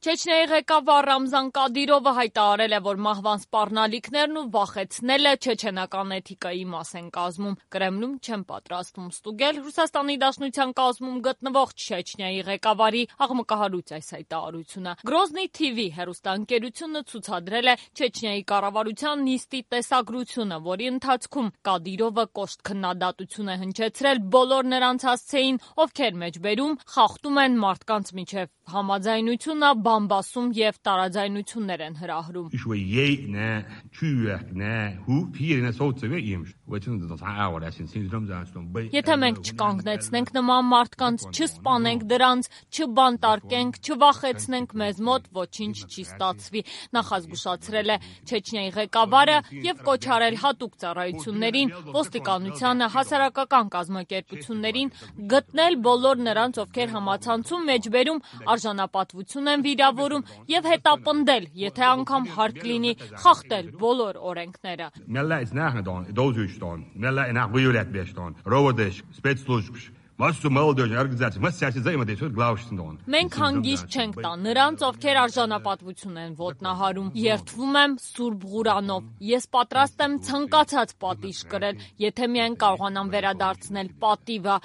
Չեչնիայի ղեկավար Ռամզան Կադիրովը հայտարարել է, որ մահվան սպառնալիքներն ու վախեցնելը չեչենական էթիկայի մաս են կազմում։ Կրեմլում չեն պատրաստվում ստուգել Ռուսաստանի Դաշնության կազմում գտնվող Չեչնիայի ղեկավարի աղմկահարույց այս հայտարարությունը։ Գրոզնի TV հեռուստաընկերությունը ցուցադրել է Չեչնիայի կառավարության նիստի տեսագրությունը, որի ընթացքում Կադիրովը կոշտ քննադատություն է հնչեցրել բոլոր նրանց հասցեին, ովքեր մեջբերում խախտում են մարդկանց միջև համաձայնությունը, բամբասում եւ տարաձայնություններ են հրահրում։ Եթե մենք չկանգնեցնենք նման մարդկանց, չսպանենք դրանց, չբանտարկենք, չվախեցնենք մեզ մոտ, ոչինչ չի ստացվի, նախազգուշացրել է Չեչնիայի ղեկավարը եւ կոչ արել հատուկ ծառայություններին, ոստիկանությանը, հասարակական կազմակերպություններին գտնել բոլոր նրանց, ովքեր համացանցում մեջբերում արժանապատվություն են վիրավորում եւ հետապնդել, եթե անգամ հարկ լինի, խախտել բոլոր օրենքները։ Մենք հանգիստ չենք տա նրանց, ովքեր արժանապատվություն են ոտնահարում։ Երդվում եմ Սուրբ Ղուրանով։ Ես պատրաստ եմ ցանկացած պատիժ կրել, եթե միայն կարողանամ վերադարձնել պատիվը։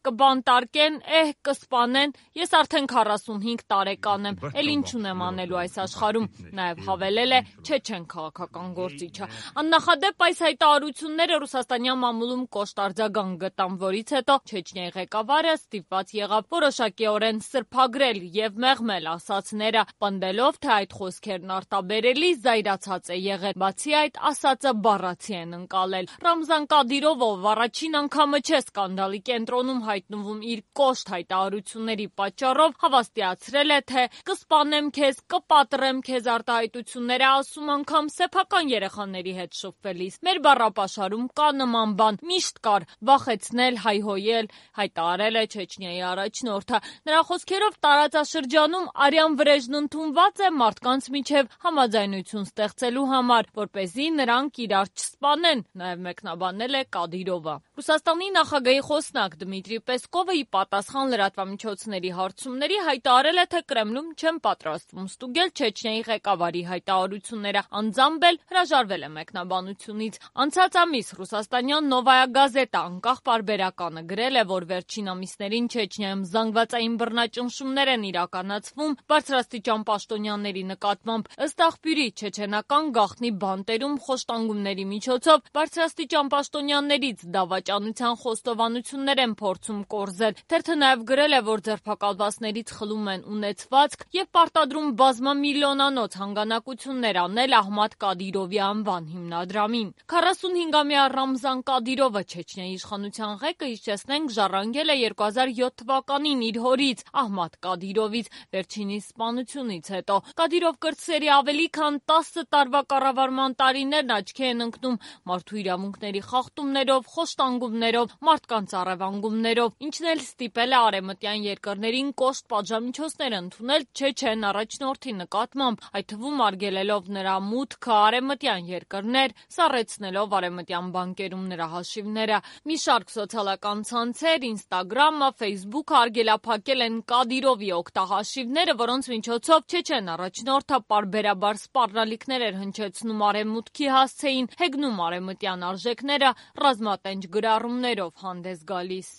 Կբանտարկեն, կսպանեն։ Ես արդեն 45 տարեկան եմ, էլ ինչ ունեմ անելու այս աշխարհում։ Նաև հավելել է չեչեն քաղաքական գործիչը։ Աննախադեպ այս հայտարարությունները ռուսաստանյան մամուլում կոշտ արձագանք գտան, որից հետո Չեչնիայի ղեկավարը ստիպված եղավ որոշակիորեն սրբագրել եւ մեղմել ասածները, պնդելով, թե այդ խոսքերն արտաբերելի զայրացած է եղել։ Բացի այդ, ասածը բառացի են ընկալել։ Ռամզան Կադիրովը, ով առաջին անգամը չէ սկանդալի կենտրոնում հայտնվում իր կոշտ հայտարարությունների պատճառով, հավաստիացրել է, թե կսպանեմ քեզ, կպատրեմ քեզ արտահայտությունները ասում անգամ սեփական երեխաների հետ շփվելիս։ Մեր բառապաշարում կա նման բան, միշտ կար, վախեցնել, հայհոյել, հայտարարել է Չեչնիայի առաջնորդը։ Նրա խոսքերով տարածաշրջանում արյան վրեժն ընդունված է մարդկանց միջև համաձայնություն ստեղծելու համար, որպեսզի նրանք իրար չսպանեն, նաև մեկնաբանել է Կադիրովը։ Ռուսաստանի նախագահի խոսնակ Դմիտրի Պեսկովը ի պատասխան լրատվամիջոցների հարցումների հայտարարել է, թե Կրեմլում չեն պատրաստվում ստուգել Չեչնիայի ղեկավարի հայտարարությունները, անձամբ էլ հրաժարվել է մեկնաբանությունից։ Անցած ամիս ռուսաստանյան Նովայա գազետա անկախ պարբերականը գրել է, որ վերջին ամիսներին Չեչնիայում զանգվածային բռնաճնշումներ են իրականացվում բարձրաստիճան պաշտոնյաների նկատմամբ։ Ըստ աղբյուրի, չեչենական գաղտնի բանտերում խոշտանգումների միջոցով բարձրաստիճան պաշտոնյաներից դավաճանության խոստովանություններ են փորձում կորզել։ Թերթը նաև գրել է, որ ձերբակալվածներից խլում են ունեցվածք եւ պարտադրում բազմամիլիոնանոց հանգանակություններ անել Ահմադ Կադիրովի անվան հիմնադրամին։ 45-ամյա Ռամզան Կադիրովը, Չեչնիայի իշխանության ղեկը, հիշեցնենք, ժառանգել է 2007 թվականին իր հորից Ահմադ Կադիրովից վերջինիս սպանությունից հետո։ Կադիրով կրտսերի ավելի քան 10 տարվա կառավարման տարիներն աչքի են ընկնում մարդու իրավունքների խախտումներով, խոշտանգումներով, մարդկանց առևանգումներով, ինչն էլ ստիպել է արևմտյան երկրներին կոշտ պատժամիջոցներ ընդունել Չեչեն առաջնորդի նկատմամբ, այդ թվում արգելելով նրա մուտքը արևմտյան երկրներ, սառեցնելով արևմտյան բանկերում նրա հաշիվները։ Մի շարք սոցիալական ցանցեր, Ինստագրամը, Ֆեյսբուքը արգելափակել են Կադիրովի օգտահաշիվները, որոնց միջոցով Չեչեն առաջնորդը պարբերաբար սպառնալիքներ էր հնչեցնում արևմուտքի հասցեին, հեգնում արևմտյան արժեքները, ռազմատենչ գրառումներով հանդես գալիս։